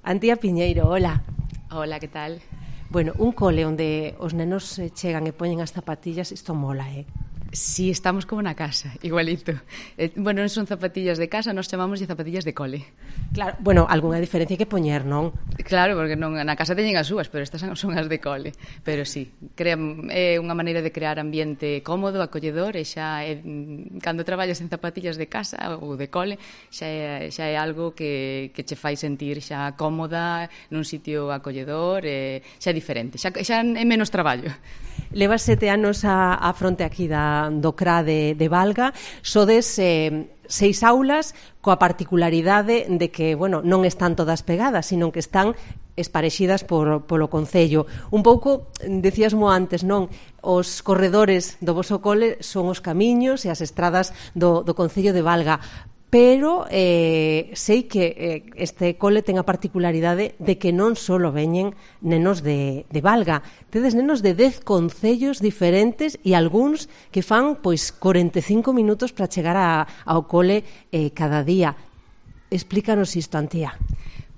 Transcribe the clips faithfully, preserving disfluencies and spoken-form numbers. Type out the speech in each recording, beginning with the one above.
Antía Piñeiro, hola. Hola, que tal? Bueno, un cole onde os nenos chegan e poñen as zapatillas, isto mola, eh? Sí, estamos como na casa, igualito. Eh, bueno, non son zapatillas de casa, nos chamamos de zapatillas de cole. Claro, bueno, algunha diferencia que poñer, non? Claro, porque non, na casa teñen as súas, pero estas son as de cole. Pero sí, crean, é unha maneira de crear ambiente cómodo, acolledor, e xa é, cando traballas en zapatillas de casa ou de cole, xa é, xa é algo que, que che fai sentir xa cómoda nun sitio acolledor, e xa é diferente, xa, xa é menos traballo. Levas sete anos a, a fronte aquí da, do C R A de, de Valga, sodes eh, seis aulas coa particularidade de que, bueno, non están todas pegadas, sino que están esparexidas por, polo Concello. Un pouco, decíasmo antes, non? Os corredores do voso cole son os camiños e as estradas do, do Concello de Valga, pero eh, sei que eh, este cole ten a particularidade de que non só veñen nenos de, de Valga, tedes nenos de dez concellos diferentes e algúns que fan pois corenta e cinco minutos para chegar a, ao cole eh, cada día. Explícanos isto, Antía.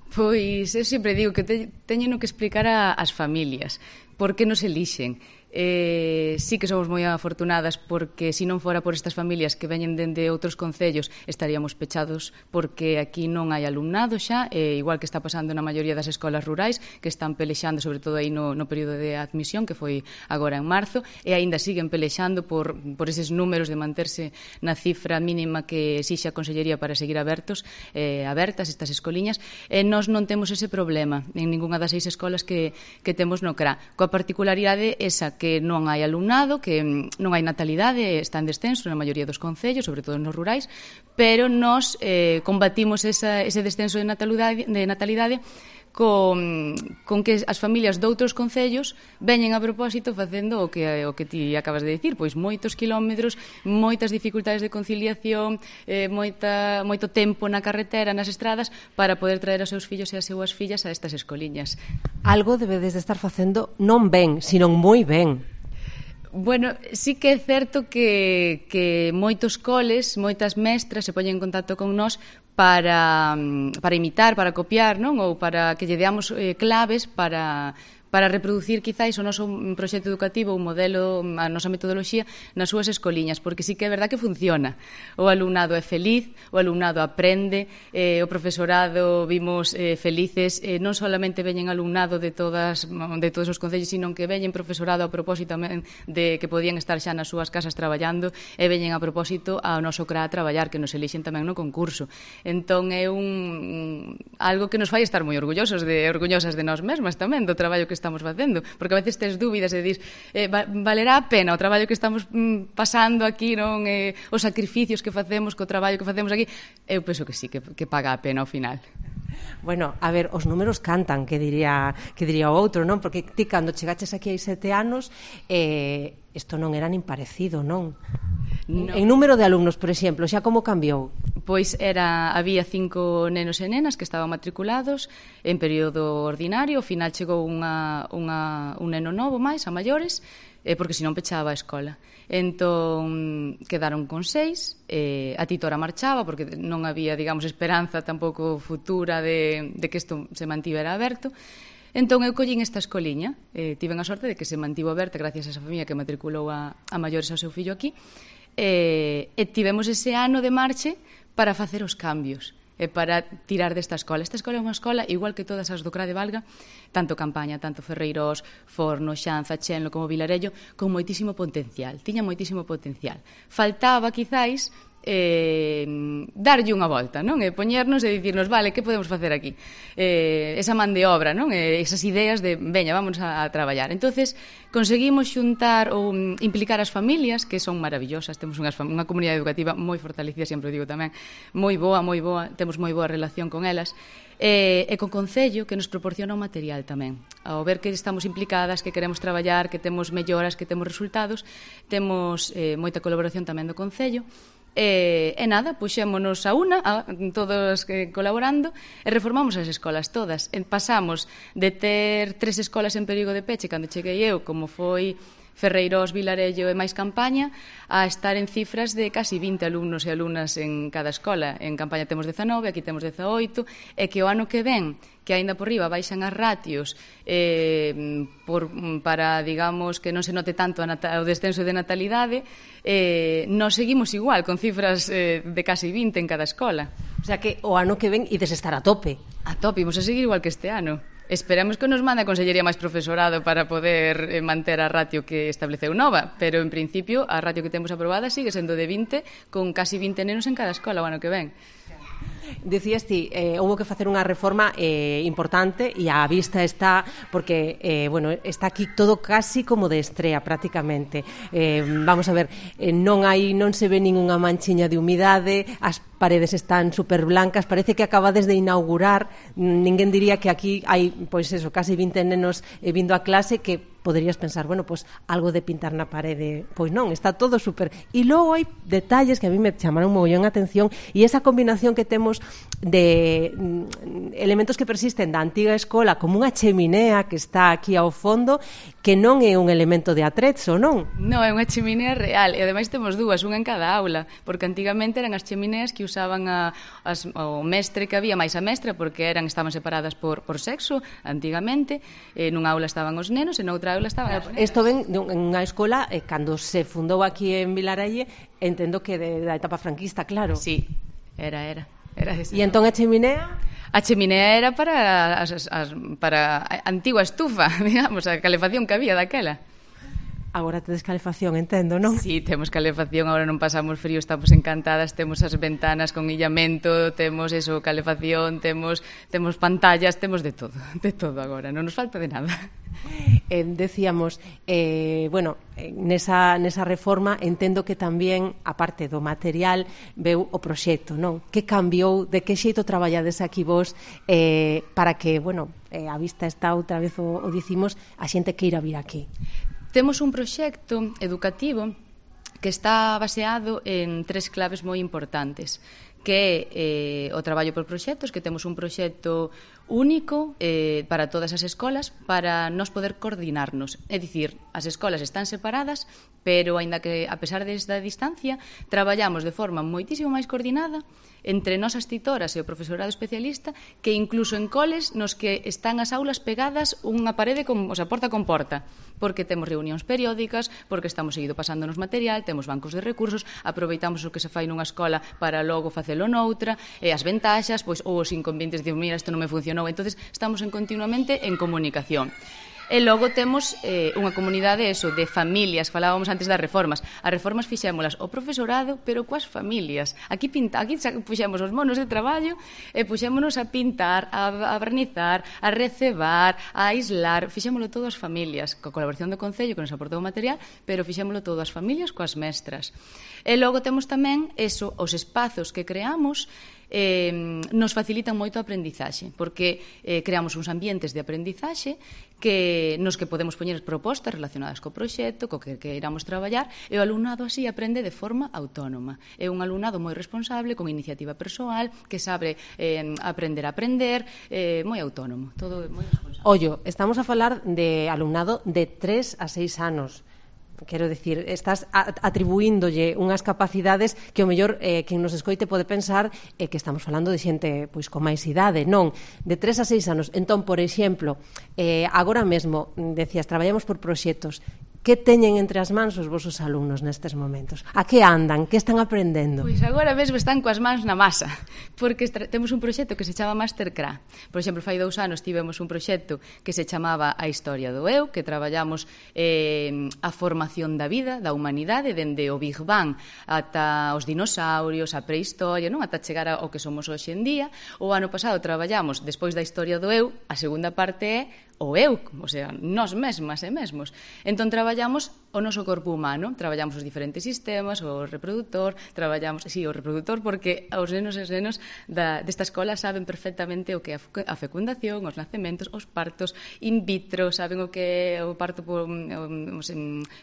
Pois eu sempre digo que te, teñen que explicar a, as familias por que nos elixen. Eh, sí que somos moi afortunadas porque se non fora por estas familias que veñen dende outros concellos estaríamos pechados porque aquí non hai alumnado xa, eh, igual que está pasando na maioría das escolas rurais que están pelexando, sobre todo aí no, no período de admisión que foi agora en marzo, e aínda siguen pelexando por, por eses números de manterse na cifra mínima que exixe a Consellería para seguir abertos, eh, abertas estas escoliñas, e nós non temos ese problema en ningunha das seis escolas que, que temos no C R A, coa particularidade esa que non hai alumnado, que non hai natalidade, está en descenso na maioría dos concellos, sobre todo nos rurais, pero nós eh, combatimos esa, ese descenso de natalidade, de natalidade con, con que as familias de outros concellos veñen a propósito facendo o que, o que ti acabas de dicir, pois moitos kilómetros, moitas dificultades de conciliación, eh, moita, moito tempo na carretera, nas estradas, para poder traer os seus fillos e as súas fillas a estas escoliñas. Algo debedes de estar facendo non ben, sino moi ben. Bueno, sí que é certo que, que moitos coles, moitas mestras se poñen en contacto con nós para, para imitar, para copiar, non? Ou para que lle deamos eh, claves para... para reproducir quizáis o noso proxecto educativo, o modelo, a nosa metodoloxía nas súas escoliñas, porque sí que é verdad que funciona. O alumnado é feliz, o alumnado aprende, eh, o profesorado vimos eh, felices, eh, non solamente veñen alumnado de todas de todos os concellos, sino que veñen profesorado a propósito tamén de que podían estar xa nas súas casas traballando e veñen a propósito ao noso C R A a traballar, que nos elixen tamén no concurso. Entón é un algo que nos fai estar moi orgullosos de orgullosas de nós mesmas tamén, do traballo que estamos facendo, porque a veces tes dúbidas e dis, eh, valerá a pena o traballo que estamos mm, pasando aquí, non, eh, os sacrificios que facemos co traballo que facemos aquí. Eu penso que sí, que, que paga a pena ao final. Bueno, a ver, os números cantan, que diría que diría o outro, non? Porque ti cando chegaches aquí hai sete anos, eh, isto non era nin parecido, non? No. En número de alumnos, por exemplo, xa como cambiou? Pois era, había cinco nenos e nenas que estaban matriculados en período ordinario, ao final chegou unha, unha, un neno novo máis, a maiores, eh, porque senón pechaba a escola. Entón, quedaron con seis, eh, a titora marchaba, porque non había, digamos, esperanza tampouco futura de, de que isto se mantivera aberto. Entón, eu collín esta escoliña, eh, tiven a sorte de que se mantivo aberta gracias a esa familia que matriculou a, a maiores ao seu fillo aquí, e, e tivemos ese ano de marche para facer os cambios e para tirar desta escola. Esta escola é unha escola igual que todas as do C R A de Valga, tanto Campaña, tanto Ferreirós, Forno, Xanza, Chenlo como Vilarello, con moitísimo potencial, tiña moitísimo potencial. Faltaba, quizáis, eh, darlle unha volta, non? E poñernos e dicirnos, vale, que podemos facer aquí? Eh, esa man de obra, non? E esas ideas de, veña, vamos a, a traballar. Entonces, conseguimos xuntar ou implicar as familias, que son maravillosas, temos unhas, unha comunidade educativa moi fortalecida, sempre o digo tamén, moi boa, moi boa, temos moi boa relación con elas, e, e con Concello, que nos proporciona o material tamén. Ao ver que estamos implicadas, que queremos traballar, que temos melloras, que temos resultados, temos eh, moita colaboración tamén do Concello. E, e nada, puxémonos a una, a, todos eh, colaborando, e reformamos as escolas todas. E pasamos de ter tres escolas en perigo de peche cando cheguei eu, como foi Ferreirós, Vilarello e máis Campaña a estar en cifras de casi vinte alumnos e alumnas en cada escola. En Campaña temos dezanove, aquí temos dezaoito, e que o ano que ven, que aínda por riba baixan as ratios eh, por, para, digamos, que non se note tanto a o descenso de natalidade, eh, nos seguimos igual, con cifras eh, de casi vinte en cada escola. O sea que o ano que ven ides estar a tope. A tope, imos a seguir igual que este ano. Esperamos que nos mande a Consellería máis profesorado para poder eh, manter a ratio que estableceu nova, pero en principio a ratio que temos aprobada sigue sendo de vinte, con casi vinte nenos en cada escola o ano que ven. Decías ti, eh, houve que facer unha reforma eh, importante e a vista está, porque eh, bueno, está aquí todo casi como de estrea prácticamente. Eh, vamos a ver, eh, non hai non se ve ningunha manchiña de humidade, as paredes están super blancas, parece que acabades de inaugurar. Ninguén diría que aquí hai, pois eso, casi vinte nenos eh, vindo a clase, que poderías pensar, bueno, pois algo de pintar na parede. Pois non, está todo super. E logo hai detalles que a mí me chamaron mogollón a atención, e esa combinación que temos de mm, elementos que persisten da antiga escola, como unha cheminea que está aquí ao fondo, que non é un elemento de atrezzo, non? Non, é unha cheminea real, e ademais temos dúas, unha en cada aula, porque antigamente eran as chemineas que usaban a, as, o mestre que había, máis a mestra, porque eran estaban separadas por, por sexo, antigamente, e nunha aula estaban os nenos, e noutra aula estaban as nenas. Isto ven unha escola, eh, cando se fundou aquí en Vilaralle, entendo que de, da etapa franquista, claro. Sí, era, era. Era e entón a cheminea? A cheminea era para, as, as, para a antigua estufa, digamos, a calefacción que había daquela. Agora tedes calefacción, entendo, non? Sí, temos calefacción, agora non pasamos frío, estamos encantadas, temos as ventanas con illamento, temos eso, calefacción, temos temos pantallas, temos de todo, de todo agora, non nos falta de nada. Eh, decíamos, eh, bueno, nesa, nesa reforma entendo que tamén, a parte do material, veu o proxecto, non? Que cambiou, de que xeito traballades aquí vos eh, para que, bueno, eh, a vista está outra vez o, o dicimos, a xente que ir a vir aquí? Temos un proxecto educativo que está baseado en tres claves moi importantes, que é eh, o traballo por proxectos, que temos un proxecto único eh, para todas as escolas para nos poder coordinarnos. É dicir, as escolas están separadas, pero, aínda que, a pesar desta distancia, traballamos de forma moitísimo máis coordinada entre nós as titoras e o profesorado especialista, que incluso en coles nos que están as aulas pegadas unha parede, con, o sea, porta con porta, porque temos reunións periódicas, porque estamos seguido pasándonos material, temos bancos de recursos, aproveitamos o que se fai nunha escola para logo facelo noutra, e as ventaxas, pois, ou os inconvenientes de, mira, isto non me funcionou, entonces estamos en continuamente en comunicación. E logo temos eh, unha comunidade eso, de familias, falábamos antes das reformas. As reformas fixémolas o profesorado, pero coas familias. Aquí pinta, aquí puxemos os monos de traballo e puxémonos a pintar, a, a barnizar, a recebar, a aislar, fixémolo todo as familias, coa colaboración do Concello que nos aportou o material, pero fixémolo todo as familias coas mestras. E logo temos tamén eso, os espazos que creamos eh, nos facilitan moito a aprendizaxe, porque eh, creamos uns ambientes de aprendizaxe que nos que podemos poñer propostas relacionadas co proxecto, co que queiramos traballar, e o alumnado así aprende de forma autónoma. É un alumnado moi responsable, con iniciativa persoal, que sabe eh, aprender a aprender, eh, moi autónomo, todo moi responsable. Ollo, estamos a falar de alumnado de tres a seis anos. Quero dicir, estás atribuíndolle unhas capacidades que o mellor eh, quen nos escoite pode pensar eh, que estamos falando de xente pois con máis idade, non, de tres a seis anos. Entón, por exemplo, eh, agora mesmo, decías, traballamos por proxectos. Que teñen entre as mans os vosos alumnos nestes momentos? A que andan? Que están aprendendo? Pois agora mesmo están coas mans na masa, porque temos un proxecto que se chama Mastercra. Por exemplo, fai dous anos tivemos un proxecto que se chamaba A Historia do Eu, que traballamos eh, a formación da vida, da humanidade, dende o Big Bang ata os dinosaurios, a prehistoria, non, ata chegar ao que somos hoxe en día. O ano pasado traballamos, despois da Historia do Eu, a segunda parte é o eu, o sea, nós mesmas e mesmos. Entón traballamos o noso corpo humano, traballamos os diferentes sistemas, o reproductor, traballamos, sí, o reproductor, porque os nenos e os nenos da, desta escola saben perfectamente o que é a fecundación, os nacementos, os partos in vitro, saben o que é o parto por,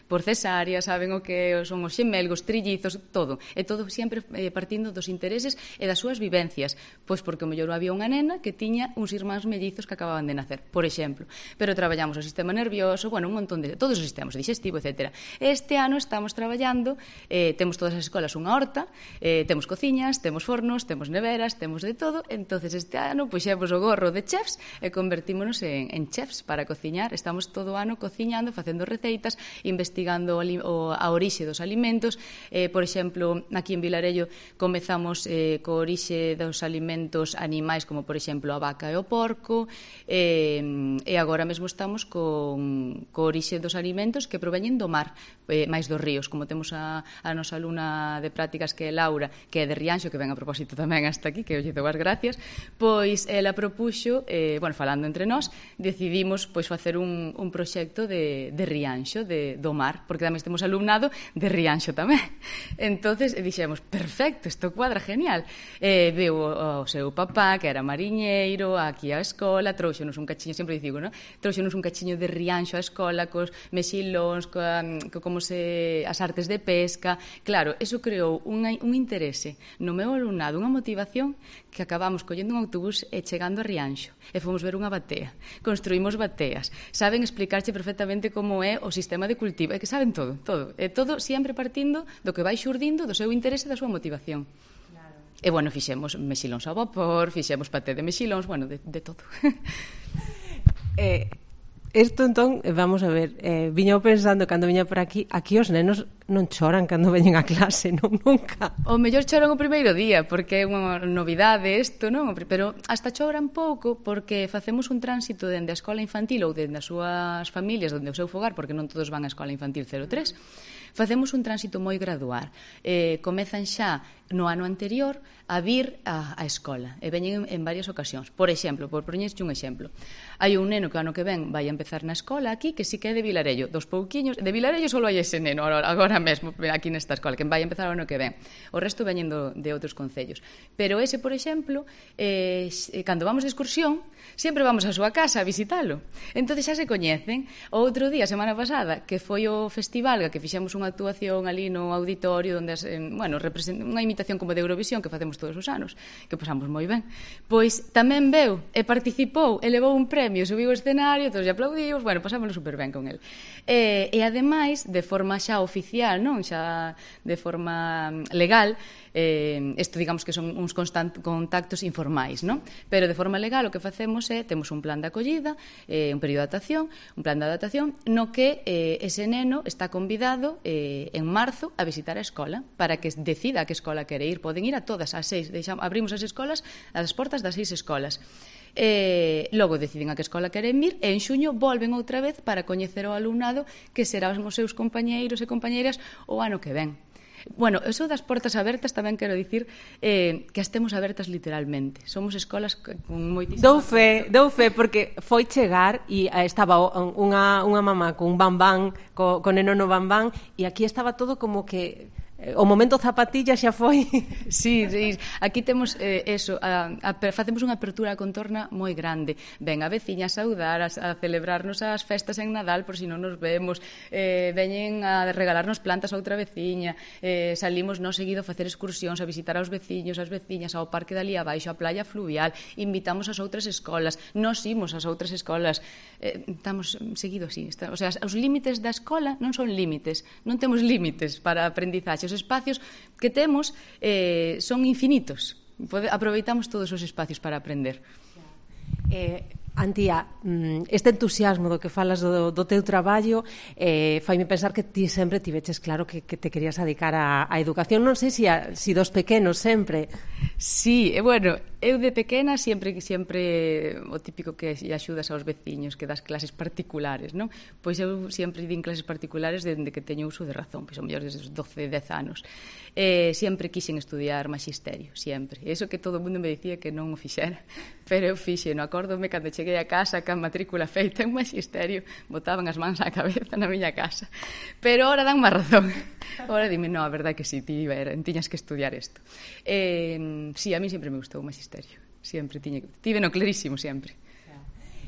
por cesárea, saben o que son os xemelgos, trillizos, todo. E todo sempre partindo dos intereses e das súas vivencias, pois porque o mellor había unha nena que tiña uns irmáns mellizos que acababan de nacer, por exemplo. Pero traballamos o sistema nervioso, bueno, un montón de... todos os sistemas, de digestivo, etcétera. Este ano estamos traballando, eh, temos todas as escolas unha horta, eh, temos cociñas, temos fornos, temos neveras, temos de todo, entonces este ano puxemos o gorro de chefs e convertímonos en, en chefs para cociñar. Estamos todo o ano cociñando, facendo receitas, investigando o, o, a orixe dos alimentos. Eh, por exemplo, aquí en Vilarello comezamos eh, co orixe dos alimentos animais, como por exemplo a vaca e o porco, eh, e agora mesmo estamos con, co orixe dos alimentos que proveñen do mar, eh, máis dos ríos, como temos a, a nosa alumna de prácticas que é Laura, que é de Rianxo, que ven a propósito tamén hasta aquí, que eu lle dou as gracias, pois ela propuxo, eh, bueno, falando entre nós, decidimos pois facer un, un proxecto de, de Rianxo, de, do mar, porque tamén temos alumnado de Rianxo tamén. Entonces dixemos, perfecto, isto cuadra genial. Eh, veu o, o seu papá, que era mariñeiro, aquí á escola, trouxonos un cachiño, sempre digo, non? Trouxonos un cachiño de Rianxo á escola, cos mexilóns, coa, co, como se as artes de pesca. Claro, eso creou un, un interese no meu alumnado, unha motivación que acabamos collendo un autobús e chegando a Rianxo e fomos ver unha batea, construímos bateas, saben explicarche perfectamente como é o sistema de cultivo, é que saben todo, todo, e todo sempre partindo do que vai xurdindo do seu interese e da súa motivación. Claro. E bueno, fixemos mexilóns ao vapor, fixemos paté de mexilóns, bueno, de, de todo. eh... Isto, entón, vamos a ver, eh, viña pensando cando viña por aquí, aquí os nenos non choran cando veñen a clase, non, nunca. O mellor choran o primeiro día, porque é unha novidade isto, non? Pero hasta choran pouco, porque facemos un tránsito dende a escola infantil ou dende as súas familias, dende o seu fogar, porque non todos van á escola infantil cero tres, facemos un tránsito moi gradual. Eh, comezan xa no ano anterior a vir á, á escola e veñen en, en varias ocasións. Por exemplo, por poñerche un exemplo, hai un neno que ano que ven vai a empezar na escola aquí, que si que é de Vilarello, dos pouquiños, de Vilarello só hai ese neno agora mesmo aquí nesta escola, que vai a empezar o ano que ven. O resto veñen do, de outros concellos. Pero ese, por exemplo, eh, cando vamos de excursión, sempre vamos á súa casa a visitalo. Entón xa se coñecen. O outro día, semana pasada, que foi o festival, que fixemos unha actuación ali no auditorio, onde, bueno, unha imitación como de Eurovisión que facemos todos os anos, que pasamos moi ben. Pois tamén veu e participou e levou un premio, subiu ao escenario, todos lle aplaudimos, bueno, pasámoslo super ben con el. E, e ademais, de forma xa oficial, non, xa de forma legal, eh, isto digamos que son uns constant, contactos informais, non? Pero de forma legal o que facemos é, temos un plan de acollida, eh, un período de adaptación, un plan de adaptación, no que eh, ese neno está convidado eh, en marzo a visitar a escola, para que decida a que escola quere ir. Poden ir a todas as seis, deixamos, abrimos as escolas, as portas das seis escolas. Eh, logo deciden a que escola queren ir e en xuño volven outra vez para coñecer o alumnado que serán os seus compañeiros e compañeiras o ano que ven. Bueno, eso das portas abertas tamén quero dicir eh, que as temos abertas literalmente. Somos escolas con moitísimas... Dou fe, dou fe, porque foi chegar e estaba unha, unha mamá con un bambán, co, con neno no bambán, e aquí estaba todo como que... O momento zapatilla xa foi. Sí, sí, aquí temos eh, eso, a, a, facemos unha apertura a contorna moi grande. Ven a veciña a saudar, a, a celebrarnos as festas en Nadal por si non nos vemos, eh, veñen a regalarnos plantas a outra veciña, eh, salimos non seguido a facer excursións, a visitar aos veciños, as veciñas, ao parque dali abaixo, a playa fluvial, invitamos as outras escolas, nos imos ás outras escolas, eh, estamos seguido así, está, o sea, os límites da escola non son límites, non temos límites para a aprendizaxe. Os espacios que temos eh, son infinitos. Pode, aproveitamos todos os espacios para aprender. Eh, Antía, este entusiasmo do que falas do, do teu traballo eh, faime pensar que ti sempre tiveches claro que, que te querías dedicar á educación. Non sei se si, si dos pequenos sempre. Sí, e bueno, eu de pequena sempre sempre o típico que axudas aos veciños, que das clases particulares, non? Pois eu sempre din clases particulares dende que teño uso de razón, pois ao mellor desde os doce, dez anos. Eh, sempre quixen estudiar magisterio, sempre. E iso que todo o mundo me dicía que non o fixera, pero eu fixe, non acórdome cando cheguei a casa ca matrícula feita en magisterio, botaban as mans á cabeza na miña casa. Pero ora dan má razón. Ora dime, non, a verdade que si, ti tiñas que estudiar isto. Eh, si, a mí sempre me gustou o magisterio. Sempre tiña, tive no clarísimo, sempre.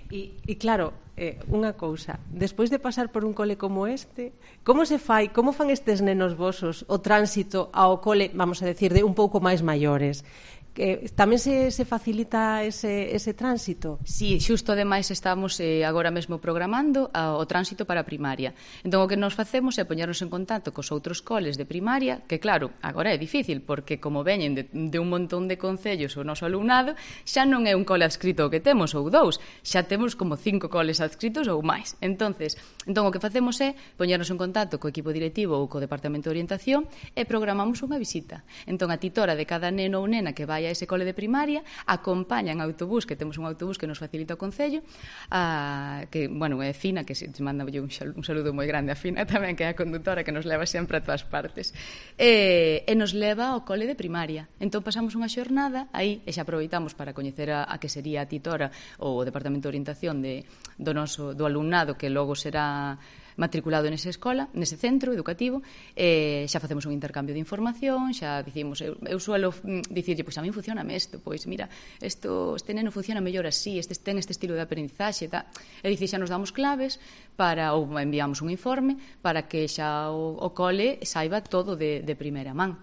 E, e claro, eh, unha cousa, despois de pasar por un cole como este, como se fai, como fan estes nenos vosos o tránsito ao cole, vamos a decir, de un pouco máis maiores? que tamén se, se facilita ese, ese tránsito? Sí, xusto ademais estamos eh, agora mesmo programando a, o tránsito para a primaria. Entón o que nos facemos é poñernos en contacto cos outros coles de primaria, que claro, agora é difícil, porque como veñen de, de un montón de concellos o noso alumnado, xa non é un cole adscrito o que temos ou dous, xa temos como cinco coles adscritos ou máis. Entonces, entón o que facemos é poñernos en contacto co equipo directivo ou co departamento de orientación e programamos unha visita. Entón a titora de cada neno ou nena que vai a ese cole de primaria acompaña en autobús, que temos un autobús que nos facilita o Concello, a, que, bueno, é Fina, que se manda un, un saludo moi grande a Fina tamén, que é a condutora que nos leva sempre a todas partes, e, e nos leva ao cole de primaria. Entón pasamos unha xornada aí e xa aproveitamos para coñecer a, a que sería a titora ou o departamento de orientación de, do, noso, do alumnado que logo será matriculado nesa escola, nese centro educativo, eh, xa facemos un intercambio de información, xa dicimos, eu, eu suelo dicirlle, pois a mí funciona isto, pois mira, esto, este neno funciona mellor así, este ten este estilo de aprendizaxe, ta. E dicir, xa nos damos claves para, ou enviamos un informe para que xa o, o cole saiba todo de, de primeira man.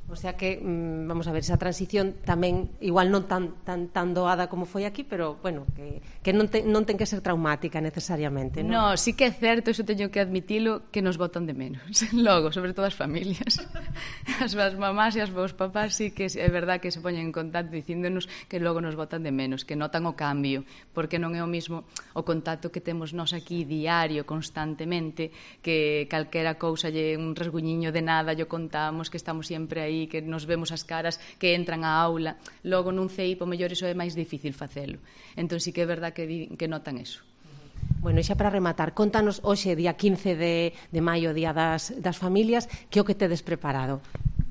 O sea que, vamos a ver, esa transición tamén igual non tan tan tan doada como foi aquí, pero, bueno, que, que non, te, non ten que ser traumática necesariamente, non? No, sí que é certo, iso teño que admitilo, que nos botan de menos. Logo, sobre todo as familias. As, as mamás e as vos papás sí que é verdad que se poñen en contacto dicíndonos que logo nos botan de menos, que notan o cambio, porque non é o mismo o contacto que temos nós aquí diario, constantemente, que calquera cousa lle un rasguñiño de nada, lle contamos que estamos sempre aí, que nos vemos as caras que entran á aula. Logo nun C I P o mellor iso é máis difícil facelo. Entón sí que é verdad que, di, que notan eso. Bueno, xa para rematar, contanos hoxe, día quince de, de maio, día das, das familias, que o que tedes preparado?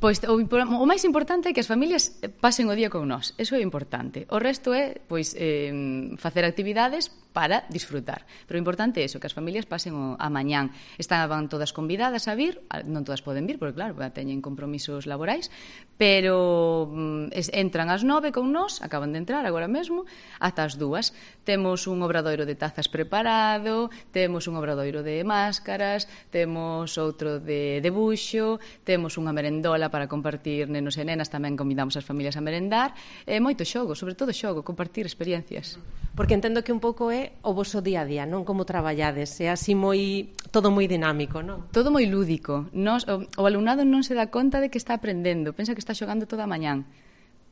Pois o, o máis importante é que as familias pasen o día con nós, eso é importante. O resto é, pois, eh, facer actividades para disfrutar. Pero o importante é iso, que as familias pasen o, a mañán. Estaban todas convidadas a vir, non todas poden vir, porque claro, teñen compromisos laborais, pero mm, entran ás nove con nós, acaban de entrar agora mesmo, ata as dúas. Temos un obradoiro de tazas preparado, temos un obradoiro de máscaras, temos outro de debuxo, temos unha merendola para compartir nenos e nenas, tamén convidamos as familias a merendar, e moito xogo, sobre todo xogo, compartir experiencias. Porque entendo que un pouco é o voso día a día, non? Como traballades, é así moi, todo moi dinámico, non? Todo moi lúdico. Nos, o, o alumnado non se dá conta de que está aprendendo, pensa que está xogando toda a mañán,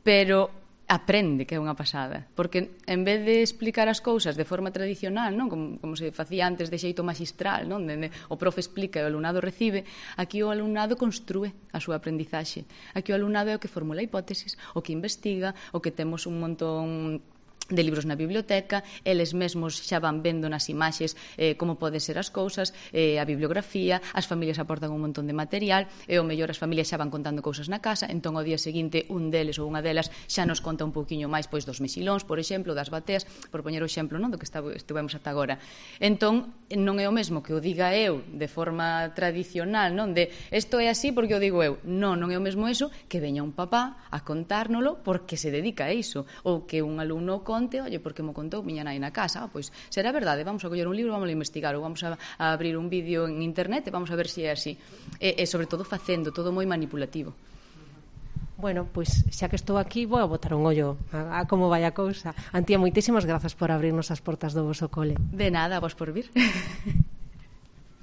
pero aprende, que é unha pasada, porque en vez de explicar as cousas de forma tradicional, non, como, como se facía antes de xeito magistral, non, de, de, o profe explica e o alumnado recibe, aquí o alumnado construe a súa aprendizaxe. Aquí o alumnado é o que formula hipótesis, o que investiga, o que temos un montón de libros na biblioteca, eles mesmos xa van vendo nas imaxes eh, como poden ser as cousas, eh, a bibliografía, as familias aportan un montón de material, e o mellor as familias xa van contando cousas na casa, entón ao día seguinte un deles ou unha delas xa nos conta un pouquiño máis pois dos mexilóns, por exemplo, das bateas, por poñer o exemplo, non, do que estivemos ata agora. Entón, non é o mesmo que o diga eu de forma tradicional, non, de isto é así porque o digo eu. Non, non é o mesmo eso que veña un papá a contárnolo porque se dedica a iso, ou que un alumno conte, oye, porque mo contou miña nai na casa, ah, pois será verdade, vamos a coller un libro, vamos a investigar, ou vamos a, a abrir un vídeo en internet e vamos a ver se é así. E, e sobre todo facendo, todo moi manipulativo. Bueno, pois xa que estou aquí, vou a botar un ollo a, a como vai a cousa. Antía, moitísimas grazas por abrirnos as portas do voso cole. De nada, vos por vir.